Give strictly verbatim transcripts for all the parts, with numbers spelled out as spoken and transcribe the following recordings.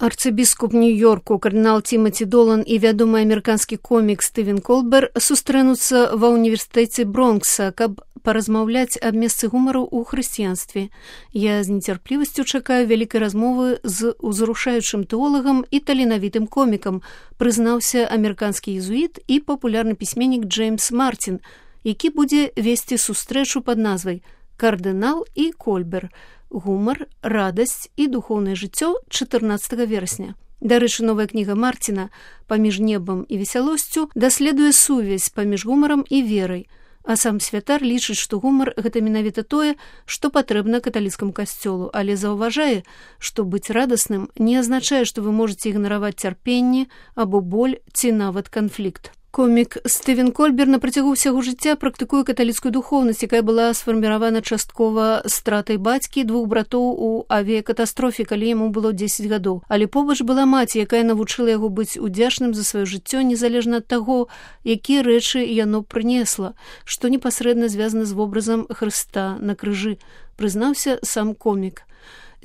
Арцыбіскуп Нью-Йорку, кардынал Тимоті Долан і вядомы амерыканскі комік Стывен Колбер сустрэнуцца ва ўніверсітэце Бронкса, каб паразмаўляць аб месцы гумару ў хрысціянстве. Я з нецярплівасцю чакаю вялікай размовы з узрушаючым тэолагам і таленавітым комікам, прызнаўся амерыканскі езуіт і папулярны пісьменнік Джеймс Мартин, які будзе весці сустрэчу пад назвай «Кардынал і Кольбер. Гумар, радасць і духоўнае жыццё» чатырнаццатага верасня. Дарэчы, новая кніга Мартина «Паміж небам і весялосцю» даследуе сувязь паміж гумарам і верай, а сам святар лічыць, што гумар – гэта менавіта тое, што патрэбна каталіцкаму касцёлу, але заўважае, што быць радасным не азначае, што вы можаце ігнараваць цярпенне або боль ці нават канфлікт. Комік Стывен Колбер на працягу ўсяго жыцця практыкуе каталіцкую духоўнасць, якая была сфарміравана часткова стратай бацькі двух братоў у авіякатастрофе, калі яму было дзесяць гадоў. Але побач была маці, якая навучыла яго быць удзячным за сваё жыццё, незалежна ад таго, якія рэчы яно прынесла, што непасрэдна звязана з вобразам Хрыста на крыжы, прызнаўся сам комік.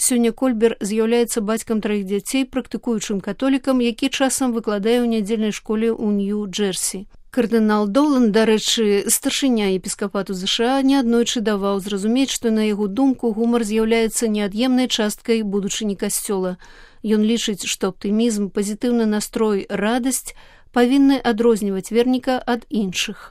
Сёння Кольбер з'яўляецца бацькам траіх дзяцей, практыкуючым католікам, які часам выкладае ў нядзельнай школе ў Нью-Джерсі. Кардынал Долан, дарэчы, старшыня епіскапату ЗША, неаднойчы даваў зразумець, што на яго думку гумар з'яўляецца неад'емнай часткай будучыні касцёла. Ён лічыць, што аптымізм, пазітыўны настрой, радасць павінны адрозніваць верніка ад іншых.